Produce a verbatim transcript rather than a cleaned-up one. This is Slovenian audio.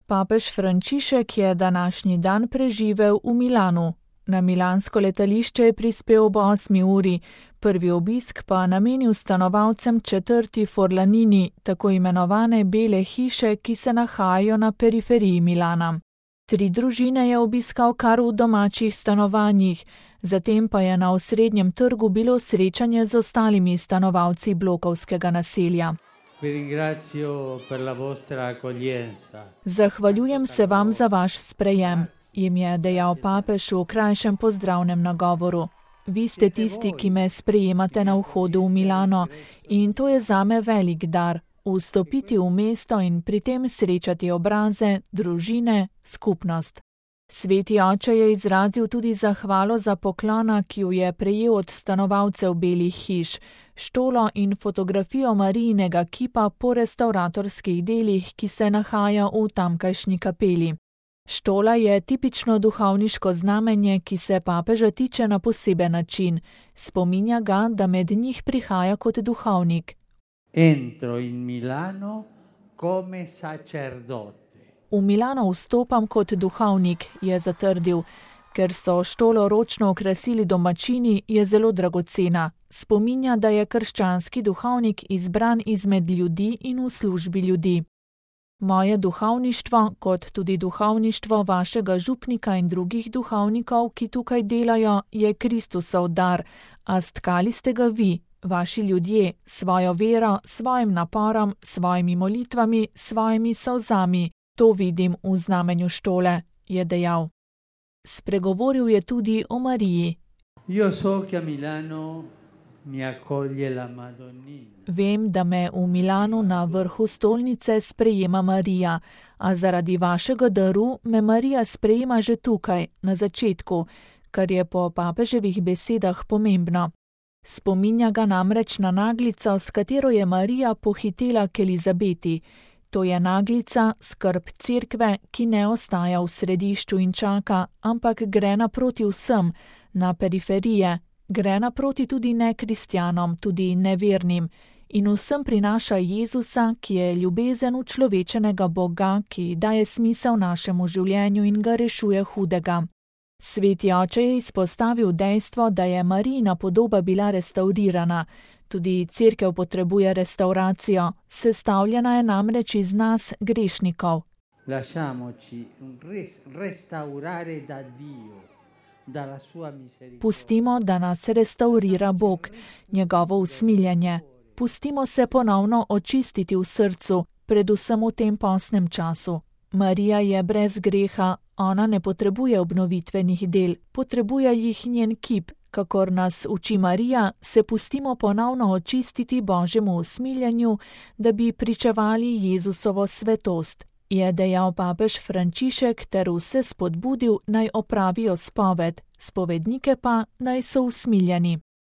Papež Frančišek je današnji dan preživel v Milanu. Na milansko letališče je prispel ob osmi uri, prvi obisk pa namenil stanovalcem četrti Forlanini, tako imenovane bele hiše, ki se nahajajo na periferiji Milana. Tri družine je obiskal kar v domačih stanovanjih, zatem pa je na osrednjem trgu bilo srečanje z ostalimi stanovalci blokovskega naselja. Zahvaljujem se vam za vaš sprejem, jim je dejal papež v krajšem pozdravnem nagovoru. Vi ste tisti, ki me sprejemate na vhodu v Milano, in to je zame velik dar, vstopiti v mesto in pri tem srečati obraze, družine, skupnost. Sveti oče je izrazil tudi zahvalo za poklona, ki jo je prejel od stanovalcev belih hiš, štolo in fotografijo Marijinega kipa po restavratorskih delih, ki se nahaja v tamkajšnji kapeli. Štola je tipično duhovniško znamenje, ki se papeža tiče na poseben način. Spominja ga, da med njih prihaja kot duhovnik. Entro in Milano come sacerdote. V Milano vstopam kot duhovnik, je zatrdil. Ker so štolo ročno okrasili domačini, je zelo dragocena. Spominja, da je krščanski duhovnik izbran izmed ljudi in v službi ljudi. Moje duhovništvo, kot tudi duhovništvo vašega župnika in drugih duhovnikov, ki tukaj delajo, je Kristusov dar, a stkali ste ga vi, vaši ljudje, svojo vero, svojim naporom, svojimi molitvami, svojimi solzami. To vidim v znamenju štole, je dejal. Spregovoril je tudi o Mariji. Io so che a Milano mi accoglie la Madonnina. Vem, da me v Milanu na vrhu stolnice sprejema Marija, a zaradi vašega daru me Marija sprejema že tukaj, na začetku, kar je po papeževih besedah pomembno. Spominja ga namreč na naglico, s katero je Marija pohitela k Elizabeti. To je naglica, skrb cerkve, ki ne ostaja v središču in čaka, ampak gre naproti vsem, na periferije, gre naproti tudi nekristjanom, tudi nevernim, in vsem prinaša Jezusa, ki je ljubezen učlovečenega Boga, ki daje smisel našemu življenju in ga rešuje hudega. Sveti oče je izpostavil dejstvo, da je Marijina podoba bila restavrirana. Tudi cerkev potrebuje restauracijo, sestavljena je namreč iz nas, grešnikov. Pustimo, da nas restaurira Bog, njegovo usmiljenje. Pustimo se ponovno očistiti v srcu, predvsem v tem postnem času. Marija je brez greha, ona ne potrebuje obnovitvenih del, potrebuje jih njen kip. Kakor nas uči Marija, se pustimo ponovno očistiti Božjemu usmiljenju, da bi pričevali Jezusovo svetost, je dejal papež Frančišek ter vse spodbudil, naj opravijo spoved, spovednike pa naj so usmiljeni.